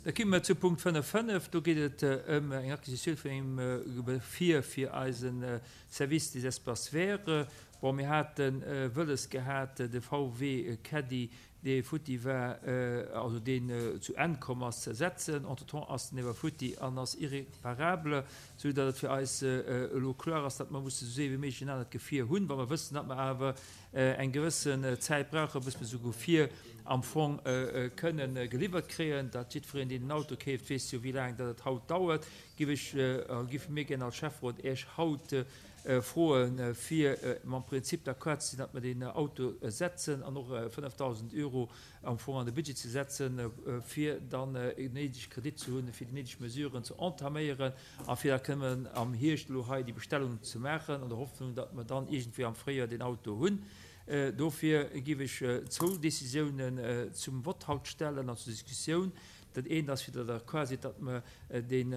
Da komme mer zu Punkt 5.5. Do geet et ëm eng Acquisitioun vun engem Gefier fir eise Service des espaces verts. Bon, mir hate wëlles gehat, de VW Caddy, dee futti war, also deen zu Enn komm ass, ze ersetzen. Entretemps ass den ewer futti an ass irréparable, esou datt et fir eis elo kloer ass, datt mer musse esou séier wéi méiglech en anert Gefier hunn, wa mer wëssen, datt mer awer eng gewëssen Zäit brauchen, bis mer esou Gefier am Fong kënnen geliwwert kréien. Dat jiddwereen, deen en Auto keeft, weess jo, wéi laang dat et haut dauert. Giff ech, giffe mir gär als Schäfferot Iech haut froen, fir mam Prinzip d'accord ze sinn, datt mer deen Auto setzen an och 5.000 Euro am Fong an de Budget ze setzen, fir dann en néideg Kredit ze hunn, fir déi néideg Mesuren ze entaméieren a fir da kënnen am Hierscht elo hei déi Bestellung ze maachen, an der Hoffnung, datt mer dann iergendwéi am Fréijoer deen Auto hunn. Dofir géif ech zwou Décisiounen zum Vott haut stellen an zur Diskussioun. Dat eent ass, fir datt Der d'accord sidd, datt mer deen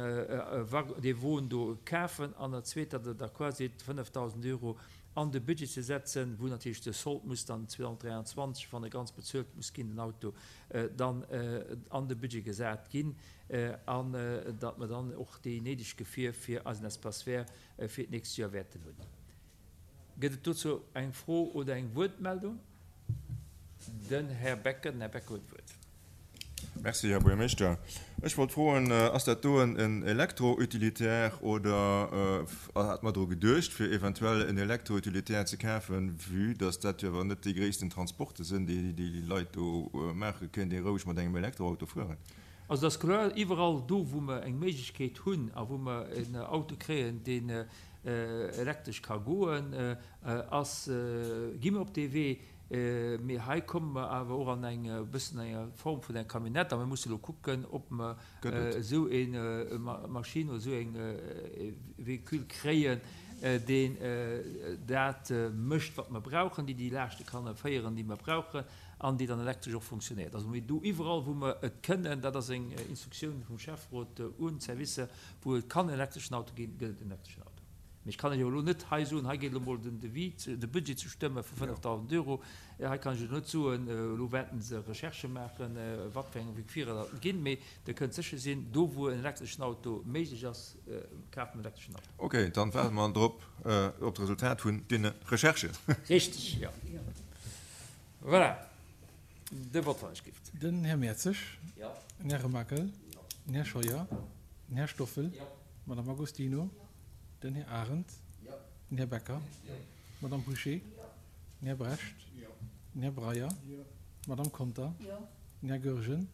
dee Won do kafen, an dat zweet, datt Der d'accord sidd, 5.000 Euro an de Budget ze setzen, wou natierlech de Solde muss dann 2023, wann e ganz bezuelt muss ginn, den Auto, dann an de Budget gesat ginn, an datt mer dann och déi néideg Gefier fir eisen Espace vert fir d'nächst Joer wäerten hunn. Gëtt et dozou eng Fro oder eng Wuertmeldung? Den Här Becker. Den Här Becker huet d'Wuert. Merci, Här Buergermeeschter. Ech wollt froen, Ass dat do en Elektro-Utilitaire oder hat mer dru geduecht, fir eventuell en Elektro-Utilitaire ze kafen, vue dass dat jo awer net déi gréissten Transporte sinn, déi déi Leit do maachen? Kéint ee roueg mat engem Elektroauto fueren? Also et ass kloer, iwwerall do, wou mer eng Méiglechkeet hunn a wou mer en Auto kréien, deen elektresch ka goen, ass, gi mer op dee Wee. Mee hei komme mer awer och an eng e bëssen enger Form vun enger Camionnette a mir musse elo kucken, ob mer esou eng Maschinn oder esou eng Véhicule kréien, deen dat mécht, wat mer brauchen, déi déi Laaschte kann féieren, déi mer brauchen an déi dann elektresch och funktionéiert. Also mee do iwwerall, wou mer et kënnen, dat ass eng Instruktioun vum Schäfferot un d'Servicer, wou et kann en elektreschen Auto ginn, gëtt et en elektreschen Auto. Mee ech kann lech awer elo net hei soen, hei geet elo mol den Devis, de Budget ze stëmme vu 5.000 Euro. Hei kann ech elo net soen, elo wäerten se Recherchë maachen, wat fir eng Gefierer dat ginn. Mee Der kënnt sécher sinn, do wou en elektreschen Auto méiglech ass, kafe mer en elektreschen Auto. Ok, dann waarde mer drop, op d'Resultat vun deene Recherchen. Richteg, jo. Voilà, de Vott wann ech gift. Den Här Mertzig. Den Här Remakel. Den Här Scheuer. Den Här Stoffel. D'Madame Agostino. Den Här Arendt. Den Här Becker. D'Madame Bouché. Den Här Brecht. Den Här Breyer. D'Madame Conter. Den Här Goergen.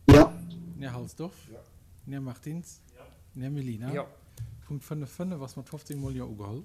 Den Här Halsdorf. Den Här Martins. Den Här Mellina. Punkt 5, 5 ass mat 15 mol Jo ugeholl.